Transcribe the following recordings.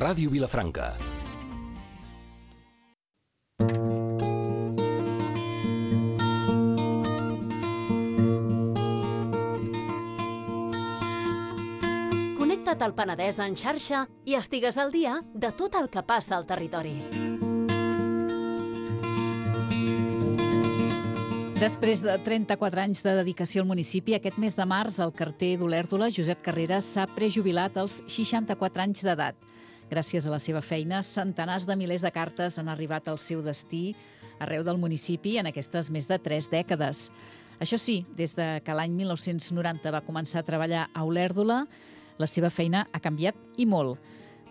Ràdio Vilafranca. Connecta't al Penedès en xarxa i estigues al dia de tot el que passa al territori. Després de 34 anys de dedicació al municipi, aquest mes de març el carter d'Olèrdola, Josep Carreras, s'ha prejubilat als 64 anys d'edat. Gràcies a la seva feina, centenars de milers de cartes han arribat al seu destí arreu del municipi en aquestes més de 3 dècades. Això sí, des de que l'any 1990 va començar a treballar a Olèrdola, la seva feina ha canviat i molt.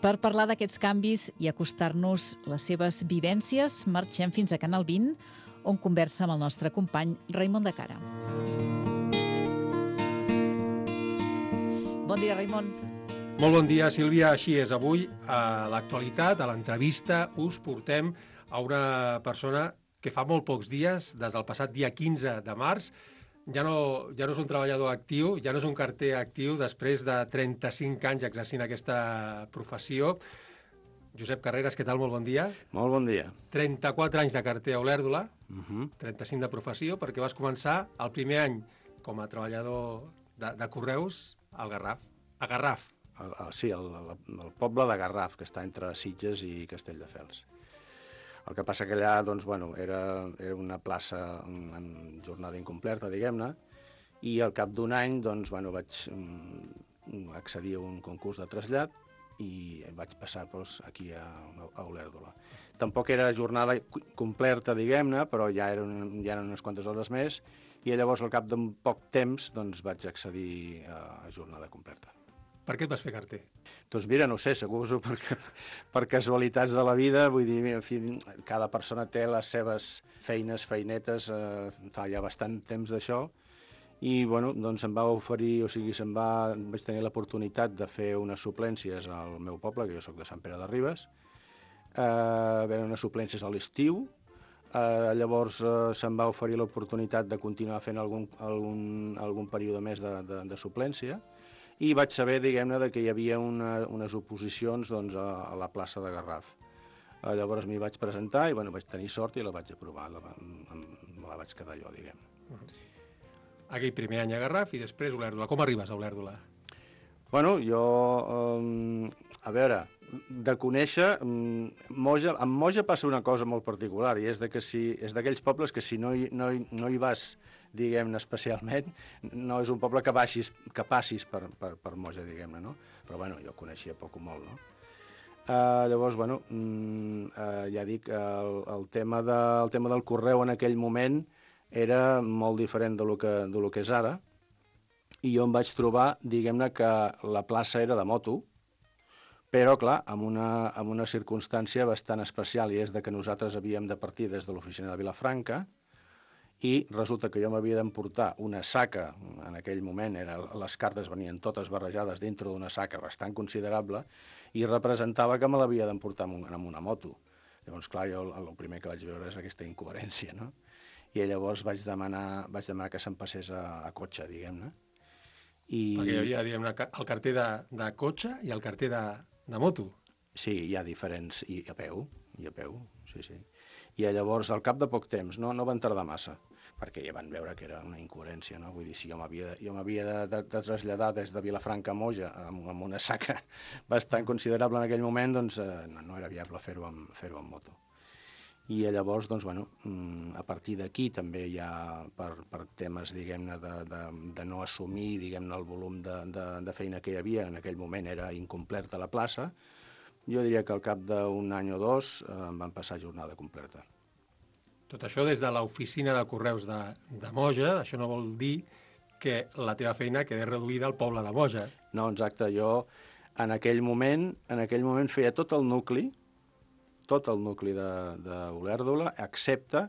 Per parlar d'aquests canvis i acostar-nos les seves vivències, marxem fins a Canal 20, on conversa amb el nostre company Raimon de Cara. Bon dia, Raimon. Molt bon dia, Sílvia. Així és, avui a l'actualitat, a l'entrevista, us portem a una persona que fa molt pocs dies, des del passat dia 15 de març, ja no és un treballador actiu, ja no és un carter actiu, després de 35 anys exercint aquesta professió. Josep Carreras, què tal? Molt bon dia. Molt bon dia. 34 anys de carter a Olèrdola, 35 de professió, perquè vas començar el primer any com a treballador de Correus al Garraf. A Garraf. Sí, el poble de Garraf, que està entre Sitges i Castelldefels. El que passa que allà, doncs, bueno, era una plaça en jornada incompleta, diguem-ne, i al cap d'un any, doncs, bueno, vaig accedir a un concurs de trasllat i vaig passar aquí a Olèrdola. Tampoc era jornada completa, diguem-ne, però ja eren unes quantes hores més, i llavors al cap d'un poc temps doncs, vaig accedir a jornada completa. Per què et vas fer carter? Doncs mira, no sé, suposo per casualitats de la vida, vull dir, en fi, cada persona té les seves feinetes, fa ja bastant temps d'això, i bueno, doncs em va oferir, vaig tenir l'oportunitat de fer unes suplències al meu poble, que jo sóc de Sant Pere de Ribes, veure unes suplències a l'estiu, llavors se'm va oferir l'oportunitat de continuar fent algun període més de suplència, i vaig saber, diguem-ne, que hi havia unes oposicions doncs, a la plaça de Garraf. Llavors m'hi vaig presentar i bueno, vaig tenir sort i la vaig aprovar, me la vaig quedar jo, diguem. Aquell primer any a Garraf i després Olèrdola. Com arribes a Olèrdola? Bueno, jo, a veure, de conèixer, amb Moja passa una cosa molt particular, i és d'aquells pobles que si no hi vas, diguem-ne, especialment, no és un poble que passis per Moja, diguem-ne, no? Però, bueno, jo coneixia poc o molt, no? Llavors, bueno, ja dic, el tema del correu en aquell moment era molt diferent de lo que és ara, i jo em vaig trobar, diguem-ne, que la plaça era de moto, però, clar, amb una circumstància bastant especial, i és que nosaltres havíem de partir des de l'oficina de Vilafranca, i resulta que jo m'havia d'emportar una saca, en aquell moment les cartes venien totes barrejades dintre d'una saca bastant considerable, i representava que me l'havia d'emportar amb una moto. Llavors, clar, jo el primer que vaig veure és aquesta incoherència, no? I llavors vaig demanar que se'm passés a cotxe, diguem-ne. Perquè hi havia, diguem-ne, el carter de cotxe i el carter de moto. Sí, hi ha diferents, i a peu, sí. I llavors, al cap de poc temps, no van tardar massa, perquè ja van veure que era una incoherència, no? Vull dir, si jo m'havia de traslladar des de Vilafranca a Moja amb una saca bastant considerable en aquell moment, doncs no era viable fer-ho amb moto. I llavors, doncs, bueno, a partir d'aquí també ja per temes, diguem-ne, de no assumir, diguem-ne, el volum de feina que hi havia, en aquell moment era incompleta la plaça, jo diria que al cap d'un any o dos em van passar jornada completa. Tot això des de l'oficina de correus de Moja, això no vol dir que la teva feina quedi reduïda al poble de Moja. No, exacte, jo en aquell moment feia tot el nucli d'Olèrdola, excepte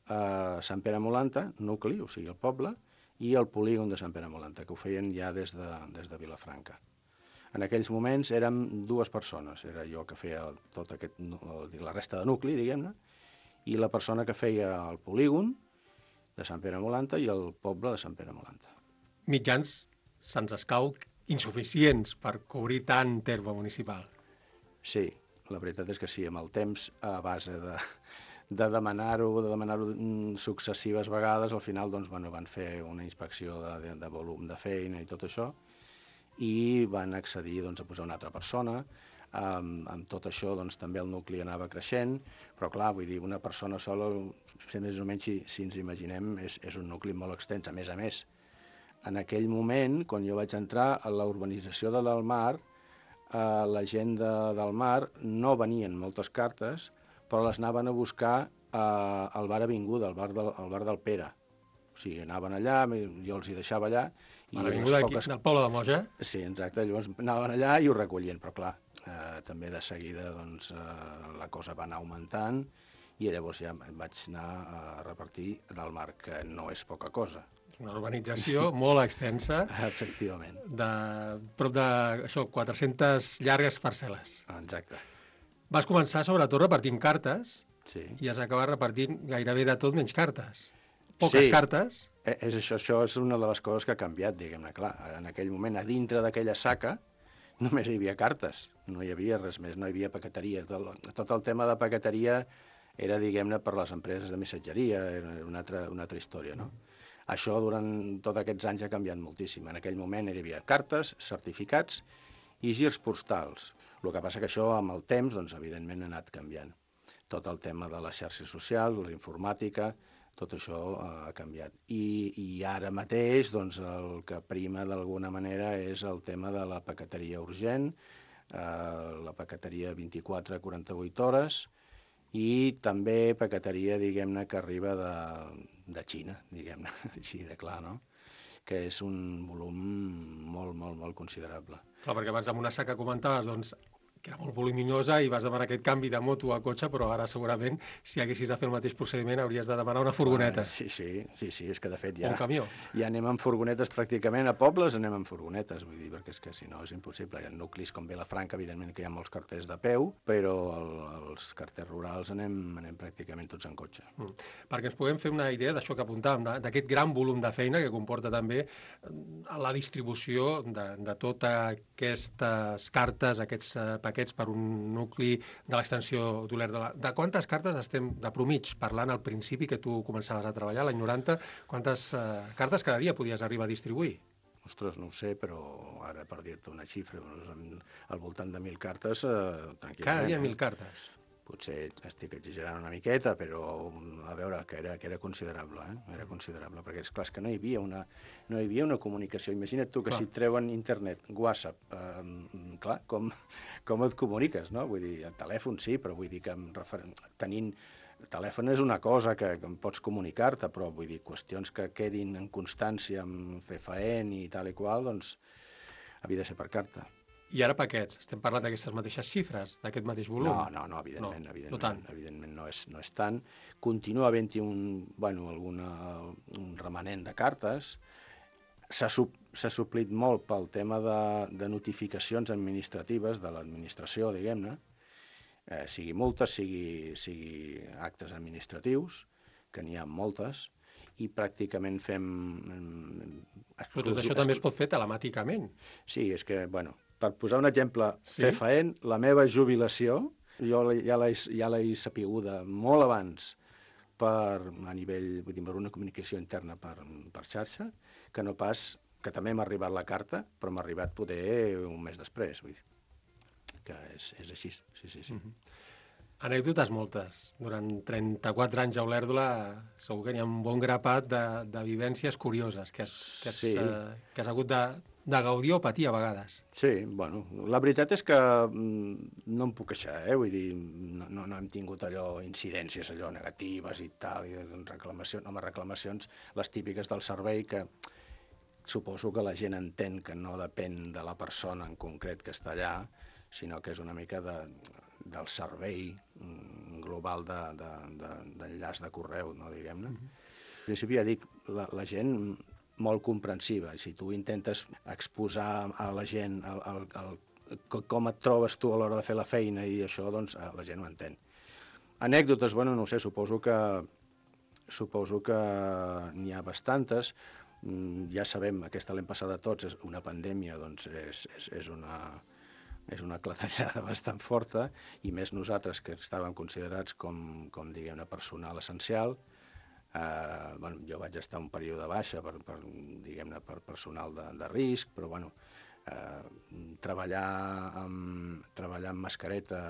Sant Pere Molanta, nucli, o sigui el poble, i el polígon de Sant Pere Molanta, que ho feien ja des de Vilafranca. En aquells moments érem 2 persones, era jo que feia la resta de nucli, diguem-ne, i la persona que feia el polígon de Sant Pere Molanta i el poble de Sant Pere Molanta. Mitjans se'ns escau insuficients per cobrir tant terme municipal. Sí, la veritat és que sí, amb el temps, a base de demanar-ho successives vegades, al final doncs, van fer una inspecció de volum de feina i tot això, i van accedir doncs, a posar una altra persona. Amb tot això doncs, també el nucli anava creixent, però clar, vull dir, una persona sola, més o menys, si ens imaginem, és un nucli molt extens. A més, en aquell moment, quan jo vaig entrar a la urbanització de Delmar, la gent del Mar no venien moltes cartes, però les anaven a buscar al bar Avinguda, al bar del Pere. O sigui, anaven allà, jo els hi deixava allà. A l'Avinguda del poble de Moja? Sí, exacte. Llavors anaven allà i ho recollien, però clar, també de seguida doncs, la cosa va anar augmentant i llavors ja vaig anar a repartir del Mar, que no és poca cosa. Una urbanització molt extensa. Efectivament. De prop de 400 llargues parcel·les. Exacte. Vas començar, sobretot, repartint cartes, sí, i has acabat repartint gairebé de tot menys cartes. Poques cartes. És això és una de les coses que ha canviat, diguem-ne. Clar, en aquell moment, a dintre d'aquella saca, només hi havia cartes, no hi havia res més, no hi havia paqueteria. Tot el tema de paqueteria era, diguem-ne, per les empreses de missatgeria, era una altra història, no? Això durant tots aquests anys ha canviat moltíssim. En aquell moment hi havia cartes, certificats i girs postals. El que passa que això, amb el temps, doncs, evidentment, ha anat canviant. Tot el tema de la xarxa social, la informàtica, tot això ha canviat. I ara mateix, doncs, el que prima d'alguna manera és el tema de la paqueteria urgent, la paqueteria 24 a 48 hores, i també paqueteria, diguem-ne, que arriba de Xina, diguem-ne, així de clar, no? Que és un volum molt, molt, molt considerable. Clar, perquè abans amb una saca comentaves, doncs, que era molt voluminosa i vas demanar aquest canvi de moto a cotxe, però ara segurament, si haguessis de fer el mateix procediment, hauries de demanar una furgoneta. Sí, és que de fet ja... Un camió. Ja anem amb furgonetes pràcticament, a pobles anem amb furgonetes, vull dir, perquè és que si no és impossible. Hi ha nuclis com Vilafranca, evidentment que hi ha molts carters de peu, però els carters rurals anem pràcticament tots en cotxe. Perquè ens puguem fer una idea d'això que apuntàvem, d'aquest gran volum de feina que comporta també la distribució de totes aquestes cartes, aquests paquets per un nucli de l'extensió d'Olèrdola. De quantes cartes estem de promig parlant al principi que tu començaves a treballar, l'any 90? Quantes cartes cada dia podies arribar a distribuir? Ostres, no ho sé, però ara per dir-te una xifra, al voltant de 1.000 cartes, tranquil·lament. Cada dia 1.000 cartes? Potser estic exagerant una miqueta, però a veure, que era considerable, era considerable, perquè és clar que no hi havia una comunicació. Imagina't tu que si et treuen internet, WhatsApp, clar, com et comuniques, no? Vull dir, el telèfon sí, però vull dir que tenint telèfon és una cosa que em pots comunicar-te, però vull dir, qüestions que quedin en constància amb fer faent i tal i qual, doncs havia de ser per carta. I ara paquets, estem parlant d'aquestes mateixes xifres, d'aquest mateix volum? No, evidentment, no tant. Evidentment no és tant. Continua havent-hi un remanent de cartes. S'ha suplit molt pel tema de notificacions administratives de l'administració, diguem-ne, sigui multes, sigui actes administratius, que n'hi ha moltes, i pràcticament fem... Però tot això també es pot fer telemàticament. Sí, és que, per posar un exemple fefaent, la meva jubilació, jo ja l'he sapiguda molt abans a nivell, vull dir, per una comunicació interna per xarxa, que no pas, que també m'ha arribat la carta, però m'ha arribat poder un mes després, vull dir, que és així, sí. Anècdotes moltes. Durant 34 anys a Olèrdola segur que n'hi ha un bon grapat de vivències curioses que has hagut de gaudir o patir a vegades. Sí, la veritat és que no em puc queixar, vull dir, no hem tingut incidències negatives i tal, i reclamacions, les típiques del servei, que suposo que la gent entén que no depèn de la persona en concret que està allà, sinó que és una mica del servei global d'enllaç de correu, no, diguem-ne. En principi, ja dic, la gent molt comprensiva. Si tu intentes exposar a la gent com et trobes tu a l'hora de fer la feina i això, doncs la gent ho entén. Anècdotes, no ho sé, suposo que n'hi ha bastantes. Ja sabem, aquesta l'hem passada tots, és una pandèmia, doncs és és una clatellada bastant forta, i més nosaltres que estàvem considerats com diguem-ne, personal essencial. Jo vaig estar un període baixa diguem-ne, per personal de risc, però treballar amb mascareta,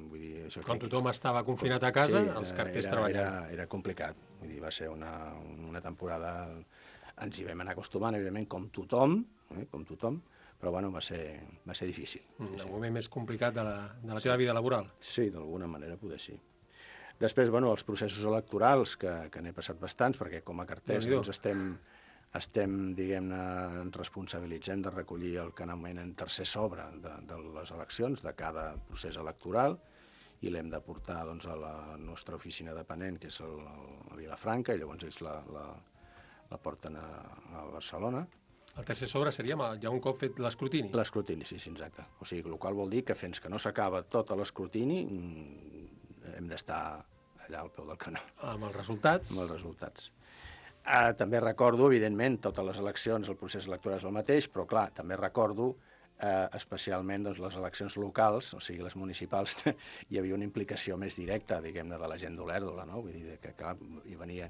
vull dir... Això Quan tothom estava confinat a casa, els carters treballant. Era complicat, vull dir, va ser una temporada... Ens hi vam anar acostumant, evidentment, com tothom, però va ser difícil. El moment més complicat de la teva vida laboral. Sí, d'alguna manera poder sí. Després, els processos electorals, que n'he passat bastants, perquè com a carters estem, diguem-ne, ens responsabilitzem de recollir el que anomenen tercer sobre de les eleccions, de cada procés electoral, i l'hem de portar a la nostra oficina dependent, que és a Vilafranca, i llavors ells la porten a Barcelona. El tercer sobre seria ja un cop fet l'escrutini? L'escrutini, sí, exacte. O sigui, el qual vol dir que fins que no s'acaba tot l'escrutini hem d'estar allà al peu del canó. Amb els resultats? Amb els resultats. També recordo, evidentment, totes les eleccions, el procés electoral és el mateix, però clar, també recordo especialment les eleccions locals, o sigui, les municipals, hi havia una implicació més directa, diguem-ne, de la gent d'Olèrdola, no? Vull dir que clar, hi venia...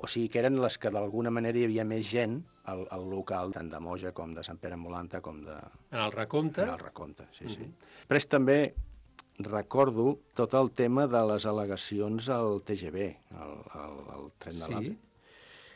O sigui, que eren les que d'alguna manera hi havia més gent al local, tant de Moja com de Sant Pere Molanta, com de... En el recompte? En el recompte, sí. Després també recordo tot el tema de les al·legacions al TGV, al tren de l'AVE.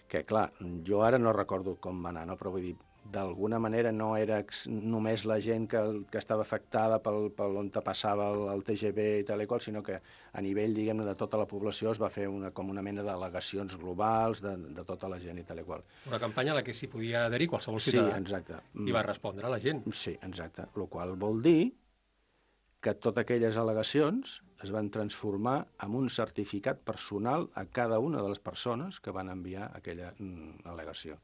Que, clar, jo ara no recordo com va anar, no? Però vull dir, d'alguna manera no era només la gent que estava afectada per on passava el TGV i tal i qual, sinó que a nivell, diguem-ne, de tota la població es va fer com una mena d'al·legacions globals de tota la gent i tal i qual. Una campanya a la que s'hi podia adherir qualsevol ciutadà. Sí, exacte. I va respondre a la gent. Sí, exacte. El qual vol dir que totes aquelles al·legacions es van transformar en un certificat personal a cada una de les persones que van enviar aquella al·legació.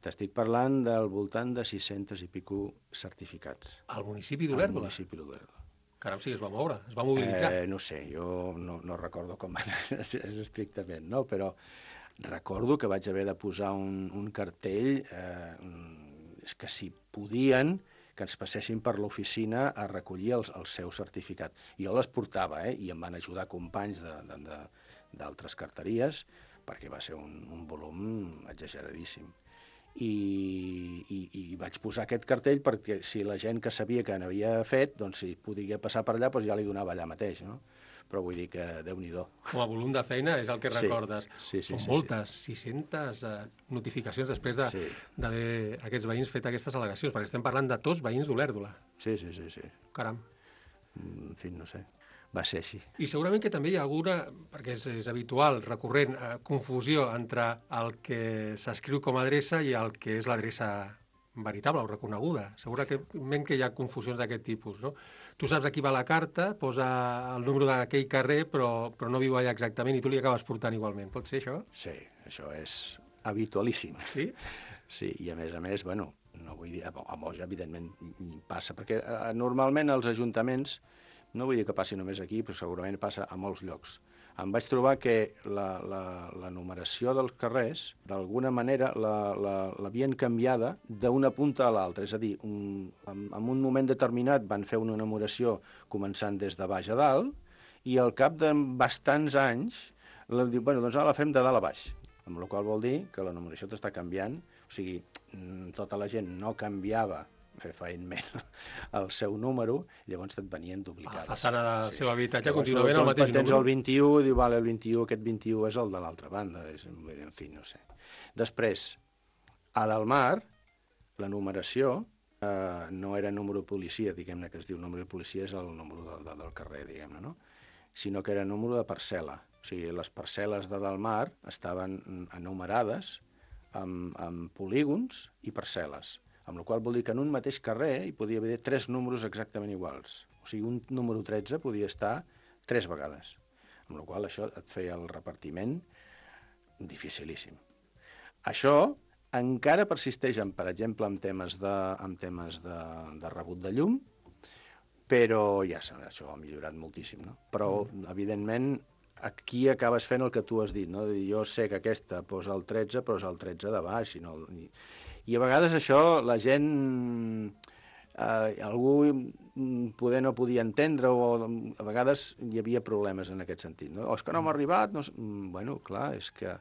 T'estic parlant del voltant de 600 i pico certificats. Al municipi d'Olèrdola? Al municipi d'Olèrdola. Caram, sí, es va moure, es va mobilitzar. No sé, jo no recordo com va anar estrictament, no? Però recordo que vaig haver de posar un cartell que si podien que ens passessin per l'oficina a recollir el seu certificat. Jo les portava, i em van ajudar companys d'altres carteries, perquè va ser un volum exageradíssim. I vaig posar aquest cartell perquè si la gent que sabia que n'havia fet, doncs si podia passar per allà, doncs ja li donava allà mateix, no? Però vull dir que Déu-n'hi-do. Com a volum de feina és el que recordes. Sí. Són moltes, 600 notificacions després d'haver aquests veïns fet aquestes al·legacions, perquè estem parlant de tots veïns d'Olèrdola. Sí. Caram. En fi, no sé. Va ser així. I segurament que també hi ha alguna, perquè és habitual, recurrent, confusió entre el que s'escriu com a adreça i el que és l'adreça veritable o reconeguda. Segurament que hi ha confusions d'aquest tipus, no? Tu saps a qui va la carta, posa el número d'aquell carrer, però no viu allà exactament i tu li acabes portant igualment. Pot ser això? Sí, això és habitualíssim. Sí? Sí, i a més, no vull dir, a Moja, evidentment, passa, perquè normalment els ajuntaments, no vull dir que passi només aquí, però segurament passa a molts llocs. Em vaig trobar que la numeració dels carrers, d'alguna manera, l'havien canviada d'una punta a l'altra. És a dir, en un moment determinat van fer una numeració començant des de baix a dalt, i al cap de bastants anys, doncs ara la fem de dalt a baix. Amb la qual vol dir que la numeració t'està canviant, o sigui, tota la gent no canviava fefaentment el seu número, llavors et venien duplicades. A la façana del seu habitatge contínuament el mateix número. Tens el 21, diu, vale, el 21, aquest 21 és el de l'altra banda, en fi, no sé. Després, a Dalmar, la numeració no era número de policia, diguem-ne que es diu número de policia, és el número del carrer, diguem-ne, no? Sinó que era número de parcel·la. O sigui, les parcel·les de Dalmar estaven enumerades amb polígons i parcel·les, amb la qual vol dir que en un mateix carrer hi podia haver 3 números exactament iguals. O sigui, un número 13 podia estar 3 vegades, amb la qual això et feia el repartiment dificilíssim. Això encara persisteix, per exemple, en temes de rebut de llum, però ja això ha millorat moltíssim, no? Però, evidentment, aquí acabes fent el que tu has dit, no? Jo sé que aquesta posa el 13, però és el 13 de baix, i a vegades això la gent algú poder no podia entendre o a vegades hi havia problemes en aquest sentit. No? O és que no m'ha arribat, no sé. Bueno, clar, és que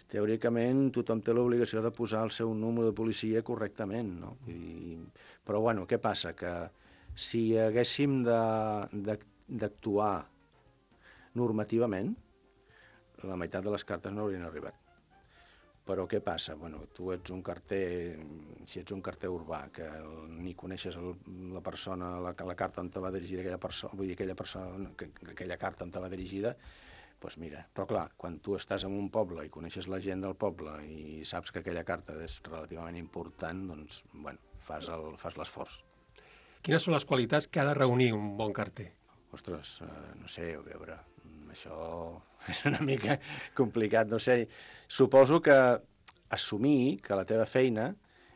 teòricament tothom té l'obligació de posar el seu número de policia correctament, no? Però bueno, què passa? Que si haguéssim d'actuar normativament, la meitat de les cartes no haurien arribat. Però què passa? Bueno, tu ets un carter, si ets un carter urbà, que ni coneixes la persona, la carta on te va dirigida aquella persona, vull dir, aquella carta on te va dirigida, doncs mira, però clar, quan tu estàs en un poble i coneixes la gent del poble i saps que aquella carta és relativament important, doncs, bueno, fas l'esforç. Quines són les qualitats que ha de reunir un bon carter? Ostres, no sé, a veure, això és una mica complicat, no sé. Suposo que assumir que la teva feina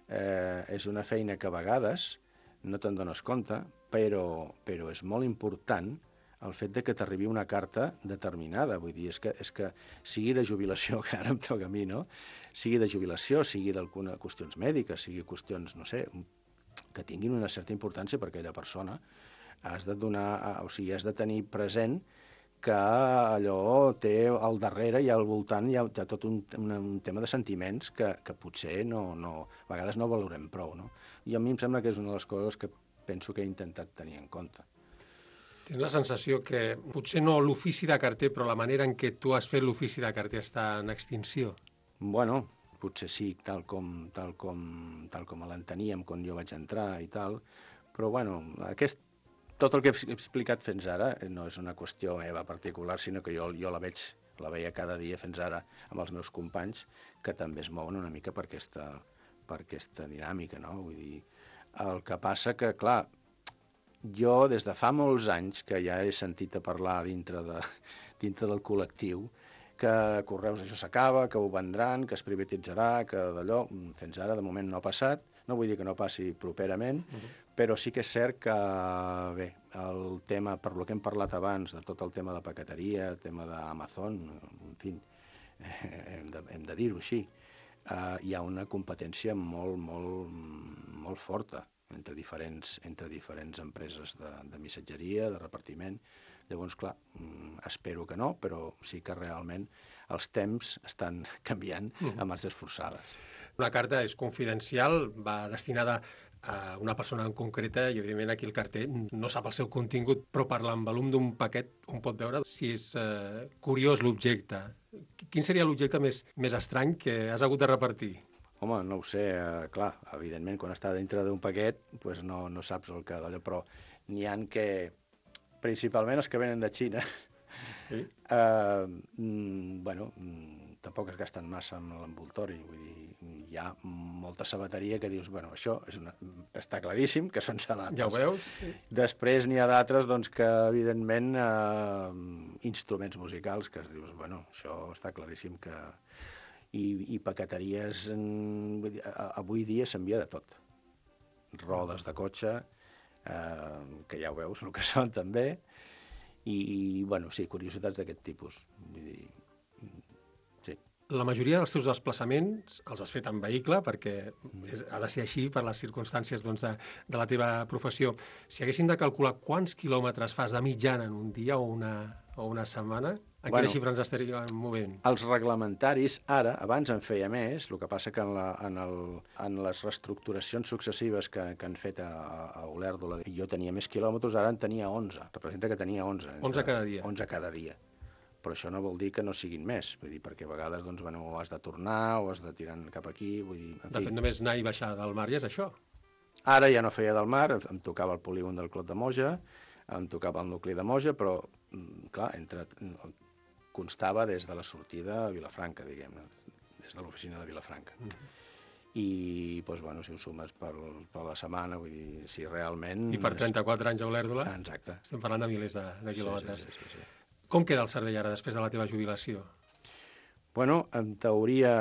és una feina que a vegades no te'n dones compte, però és molt important el fet de que t'arribi una carta determinada. Vull dir, és que sigui de jubilació, que ara em toca a mi, no? Sigui de jubilació, sigui d'alguna qüestions mèdiques, sigui qüestions, no sé, que tinguin una certa importància per aquella persona, has de has de tenir present que allò té al darrere i al voltant hi ha tot un tema de sentiments que potser a vegades no valorem prou, no? I a mi em sembla que és una de les coses que penso que he intentat tenir en compte. Tens la sensació que potser no l'ofici de carter, però la manera en què tu has fet l'ofici de carter està en extinció? Bueno, potser sí, tal com l'enteníem quan jo vaig entrar i tal, però bueno, tot el que he explicat fins ara no és una qüestió meva particular, sinó que jo la veia cada dia fins ara amb els meus companys, que també es mouen una mica per aquesta dinàmica, no? Vull dir, el que passa que, clar, jo des de fa molts anys que ja he sentit a parlar dintre del col·lectiu que Correus això s'acaba, que ho vendran, que es privatitzarà, que d'allò, fins ara de moment no ha passat, no vull dir que no passi properament, però sí que és cert que, bé, el tema, per lo que hem parlat abans, de tot el tema de paqueteria, el tema d'Amazon, en fi, hem de dir-ho així, hi ha una competència molt forta entre diferents empreses de missatgeria, de repartiment. Llavors, clar, espero que no, però sí que realment els temps estan canviant a marxes forçades. Una carta és confidencial, va destinada a una persona en concreta i, evidentment, aquí el carter no sap el seu contingut, però per l'envolum d'un paquet un pot veure si és curiós l'objecte. Quin seria l'objecte més estrany que has hagut de repartir? Home, no ho sé, clar, evidentment, quan està dintre d'un paquet doncs no saps el que d'allò, però n'hi ha que, principalment els que venen de Xina, sí? Bueno, tampoc es gasten massa amb l'envoltori, vull dir, hi ha molta sabateria que dius, bueno, això està claríssim, que són sabates. Ja ho veus? Després n'hi ha d'altres, doncs, que, evidentment, instruments musicals, que es dius, bueno, això està claríssim que... I paqueteries, avui dia s'envia de tot. Rodes de cotxe, que ja ho veus, el que són també, i bueno, sí, curiositats d'aquest tipus. Vull dir, sí. La majoria dels teus desplaçaments els has fet en vehicle, perquè ha de ser així per les circumstàncies de la teva professió. Si haguéssim de calcular quants quilòmetres fas de mitjana en un dia o una setmana, en quina xifra ens estaríem movent? Els reglamentaris, ara, abans en feia més, el que passa que en les reestructuracions successives que han fet a Olèrdola, jo tenia més quilòmetres, ara en tenia 11. Representa que tenia 11. 11 cada dia? 11 cada dia. Però això no vol dir que no siguin més, vull dir, perquè a vegades doncs, bueno, has de tornar o has de tirar cap aquí, vull dir... De fet, només anar i baixar del mar ja és això. Ara ja no feia del mar, em tocava el polígon del Clot de Moja, em tocava el nucli de Moja, però, clar, constava des de la sortida a Vilafranca, diguem-ne, des de l'oficina de Vilafranca. I, doncs, bueno, si ho sumes per la setmana, vull dir, si realment... I per 34 anys a Olèrdola? Exacte. Estem parlant de milers de quilòmetres. Sí. Com queda el servei ara, després de la teva jubilació? Bueno, en teoria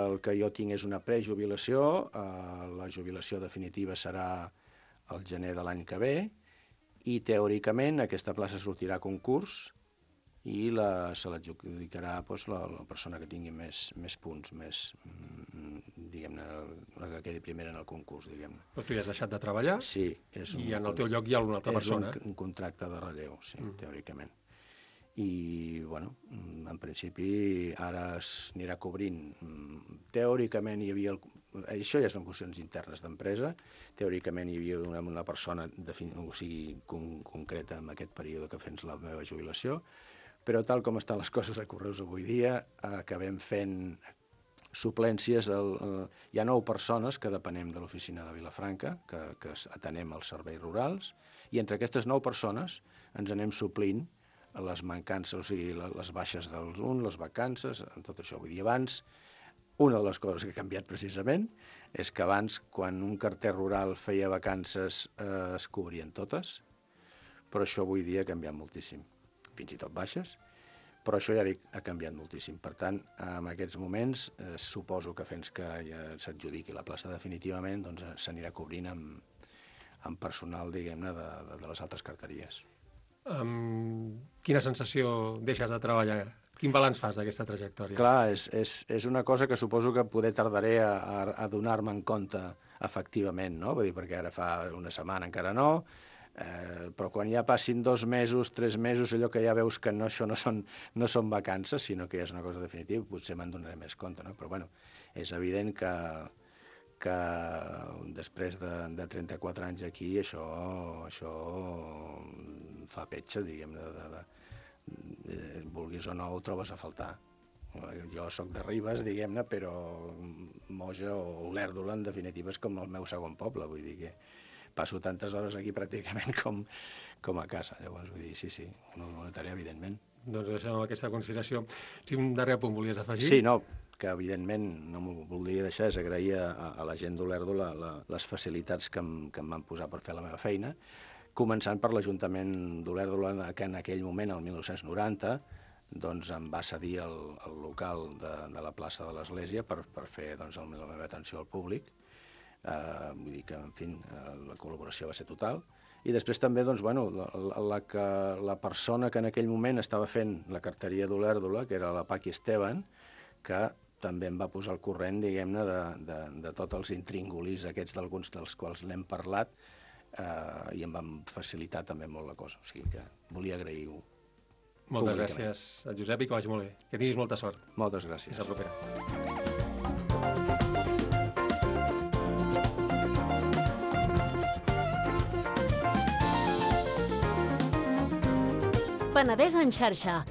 el que jo tinc és una prejubilació, la jubilació definitiva serà el gener de l'any que ve, i teòricament aquesta plaça sortirà a concurs i se l'adjudicarà la persona que tingui més punts, diguem-ne, la que quedi primera en el concurs, diguem-ne. Però tu ja has deixat de treballar? Sí. I en el teu lloc hi ha una altra persona? És un contracte de relleu, sí, teòricament. I, bueno, en principi ara s'anirà cobrint. Teòricament hi havia... Això ja són qüestions internes d'empresa. Teòricament hi havia una persona concreta en aquest període que fes la meva jubilació, però tal com estan les coses a Correus avui dia, acabem fent suplències. Hi ha 9 persones que depenem de l'oficina de Vilafranca, que atenem els serveis rurals, i entre aquestes 9 persones ens anem suplint les mancances, o sigui, les baixes dels uns, les vacances, tot això. Vull dir, abans, una de les coses que ha canviat precisament és que abans, quan un carter rural feia vacances, es cobrien totes, però això avui dia ha canviat moltíssim. Fins i tot baixes, però això ja dic, ha canviat moltíssim. Per tant, en aquests moments, suposo que fins que ja s'adjudiqui la plaça definitivament, doncs s'anirà cobrint amb personal, diguem-ne, de les altres carteries. Quina sensació deixes de treballar? Quin balanç fas d'aquesta trajectòria? Clar, és una cosa que suposo que poder tardaré a donar-me en compte efectivament, no? Vull dir, perquè ara fa una setmana encara no, però quan ja passin 2 mesos, 3 mesos, allò que ja veus que això no són vacances, sinó que ja és una cosa definitiva, potser me'n donaré més compte, no? Però, bueno, és evident que després de 34 anys aquí, això fa petxa, diguem-ne, vulguis o no ho trobes a faltar. Jo soc de Ribes, diguem-ne, però Moja o Olèrdola, en definitiva, és com el meu segon poble, vull dir que passo tantes hores aquí pràcticament com a casa. Llavors, vull dir, sí, ho notaré, evidentment. Doncs deixem aquesta consideració. Si un darrer punt volies afegir? Sí, no, que evidentment no m'ho voldria deixar, és agrair a la gent d'Olèrdola les facilitats que em van posar per fer la meva feina, començant per l'Ajuntament d'Olèrdola, que en aquell moment, el 1990, doncs em va cedir el local de la plaça de l'Església per fer la meva atenció al públic. Vull dir que, en fi, la col·laboració va ser total. I després també, doncs, bueno, la persona que en aquell moment estava fent la carteria d'Olèrdola, que era la Paqui Esteban, que també em va posar al corrent, diguem-ne, de tots els intríngulis aquests d'alguns dels quals n'hem parlat, i em van facilitar també molt la cosa. O sigui que volia agrair-ho. Moltes gràcies, Josep, i que vagi molt bé. Que tinguis molta sort. Moltes gràcies. Fins la propera. Penedès en xarxa.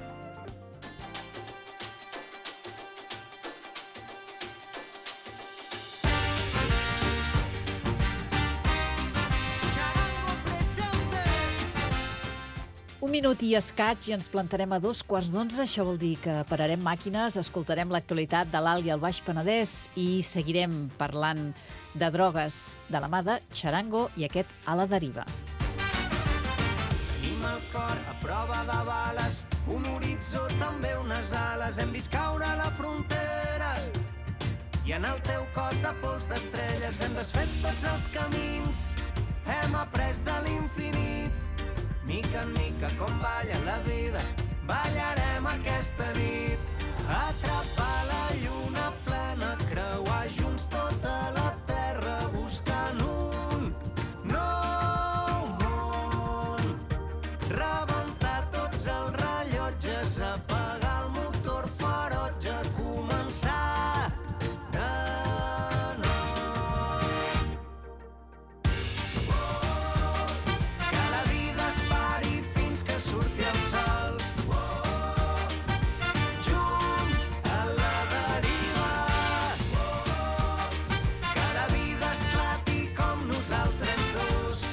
Un minut i escaig i ens plantarem a 11:15. Això vol dir que pararem màquines, escoltarem l'actualitat de l'Alt i el Baix Penedès i seguirem parlant de drogues de la mà de Charango i aquest A la deriva. Tenim el cor a prova de bales, un horitzó, també unes ales. Hem vist caure la frontera i en el teu cos de pols d'estrelles hem desfet tots els camins. Hem après de l'infinit. Mica en mica, com balla la vida, ballarem aquesta nit. Atrapar la lluna plena, creuar junts tota la terra, buscant un nou món. Rebentar tots els rellotges, apagar el motor ferotge, començar de nou. Que la vida es pari fins que surti el sol. Junts a la deriva. Que la vida esclati com nosaltres dos.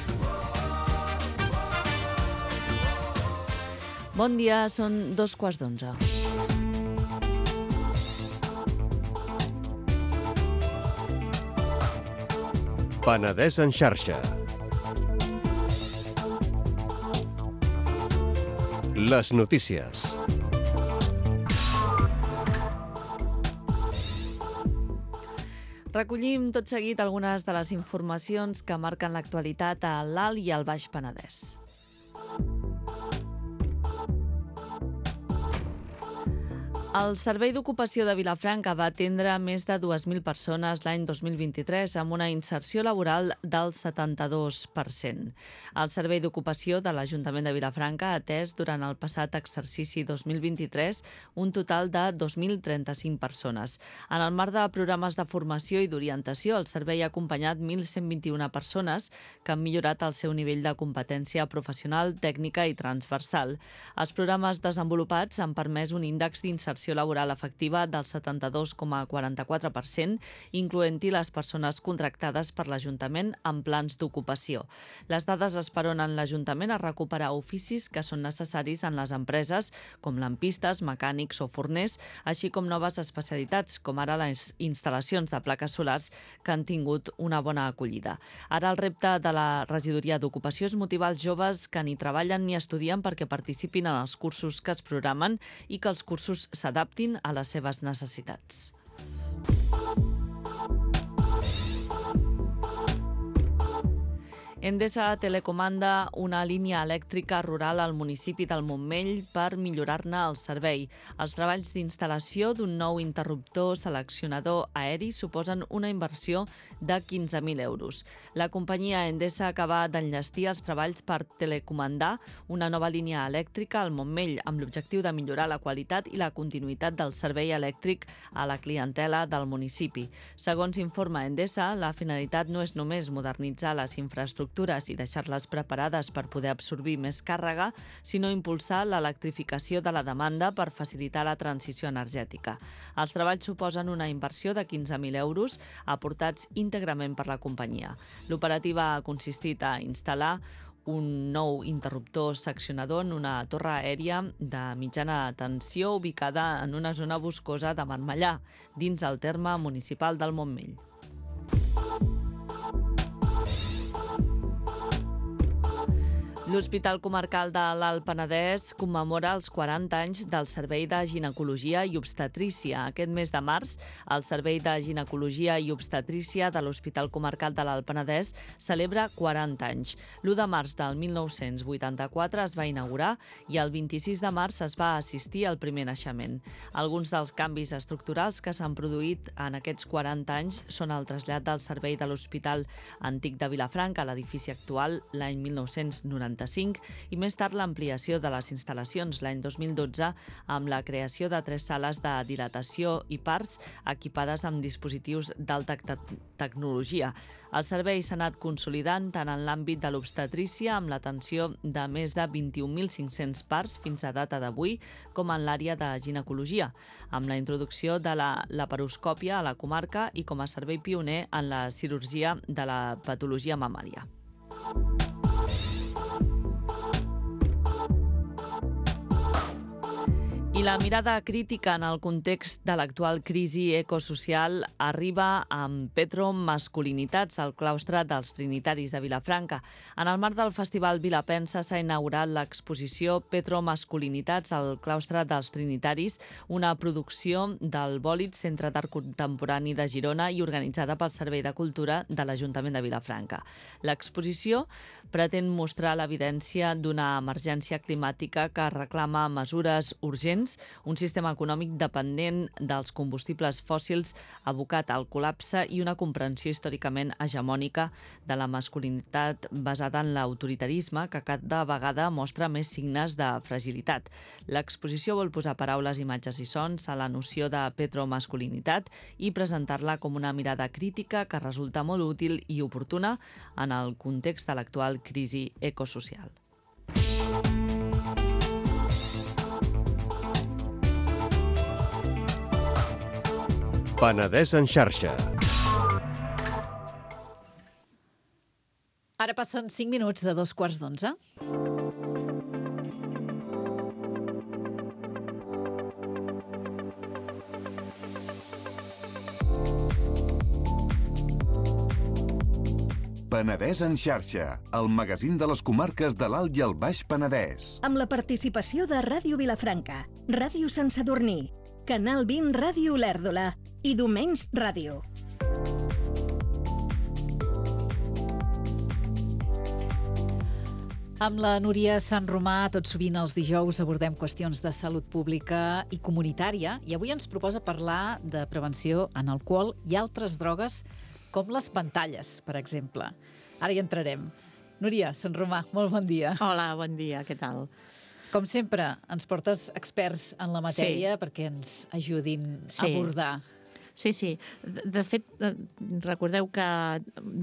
Bon dia, són 11:15. Penedès en xarxa. Les notícies. Recollim tot seguit algunes de les informacions que marquen l'actualitat a l'Alt i al Baix Penedès. El Servei d'Ocupació de Vilafranca va atendre més de 2.000 persones l'any 2023 amb una inserció laboral del 72%. El Servei d'Ocupació de l'Ajuntament de Vilafranca ha atès durant el passat exercici 2023 un total de 2.035 persones. En el marc de programes de formació i d'orientació, el servei ha acompanyat 1.121 persones que han millorat el seu nivell de competència professional, tècnica i transversal. Els programes desenvolupats han permès un índex d'inserció laboral efectiva del 72,44%, incloent-hi les persones contractades per l'Ajuntament en plans d'ocupació. Les dades esperonen l'Ajuntament a recuperar oficis que són necessaris en les empreses, com lampistes, mecànics o forners, així com noves especialitats, com ara les instal·lacions de plaques solars, que han tingut una bona acollida. Ara el repte de la Regidoria d'Ocupació és motivar els joves que ni treballen ni estudien perquè participin en els cursos que es programen i que els cursos s'adaptin a les seves necessitats. Endesa telecomanda una línia elèctrica rural al municipi del Montmell per millorar-ne el servei. Els treballs d'instal·lació d'un nou interruptor seleccionador aeri suposen una inversió de 15.000 euros. La companyia Endesa acaba d'enllestir els treballs per telecomandar una nova línia elèctrica al Montmell amb l'objectiu de millorar la qualitat i la continuïtat del servei elèctric a la clientela del municipi. Segons informa Endesa, la finalitat no és només modernitzar les infraestructures i deixar-les preparades per poder absorbir més càrrega, sinó impulsar l'electrificació de la demanda per facilitar la transició energètica. Els treballs suposen una inversió de 15.000 euros aportats íntegrament per la companyia. L'operativa ha consistit a instal·lar un nou interruptor seccionador en una torre aèria de mitjana tensió ubicada en una zona boscosa de Marmellà, dins el terme municipal del Montmell. L'Hospital Comarcal de l'Alt Penedès commemora els 40 anys del Servei de Ginecologia i Obstetrícia. Aquest mes de març, el Servei de Ginecologia i Obstetrícia de l'Hospital Comarcal de l'Alt Penedès celebra 40 anys. L'1 de març del 1984 es va inaugurar i el 26 de març es va assistir al primer naixement. Alguns dels canvis estructurals que s'han produït en aquests 40 anys són el trasllat del servei de l'Hospital Antic de Vilafranca a l'edifici actual l'any 1990. I més tard l'ampliació de les instal·lacions l'any 2012 amb la creació de 3 sales de dilatació i parts equipades amb dispositius d'alta tecnologia. El servei s'ha anat consolidant tant en l'àmbit de l'obstetrícia amb l'atenció de més de 21.500 parts fins a data d'avui com en l'àrea de ginecologia, amb la introducció de la laparoscòpia a la comarca i com a servei pioner en la cirurgia de la patologia mamària. I la mirada crítica en el context de l'actual crisi ecosocial arriba amb Petromasculinitats al claustre dels Trinitaris de Vilafranca. En el marc del Festival Vilapensa s'ha inaugurat l'exposició Petromasculinitats al claustre dels Trinitaris, una producció del Bòlit Centre d'Art Contemporani de Girona i organitzada pel Servei de Cultura de l'Ajuntament de Vilafranca. L'exposició pretén mostrar l'evidència d'una emergència climàtica que reclama mesures urgents, un sistema econòmic dependent dels combustibles fòssils abocat al col·lapse i una comprensió històricament hegemònica de la masculinitat basada en l'autoritarisme que cada vegada mostra més signes de fragilitat. L'exposició vol posar paraules, imatges i sons a la noció de petromasculinitat i presentar-la com una mirada crítica que resulta molt útil i oportuna en el context de l'actual crisi ecosocial. Penedès en xarxa. Ara passen 5 minuts de 11:15. Penedès en xarxa, el magazín de les comarques de l'Alt i el Baix Penedès. Amb la participació de Ràdio Vilafranca, Ràdio Sant Sadurní, Canal 20 Ràdio Olèrdola i Domenys Ràdio. Amb la Núria Sant Romà, tot sovint els dijous abordem qüestions de salut pública i comunitària i avui ens proposa parlar de prevenció en alcohol i altres drogues com les pantalles, per exemple. Ara hi entrarem. Núria Sant Romà, molt bon dia. Hola, bon dia, què tal? Com sempre, ens portes experts en la matèria perquè ens ajudin a abordar. Sí. De fet, recordeu que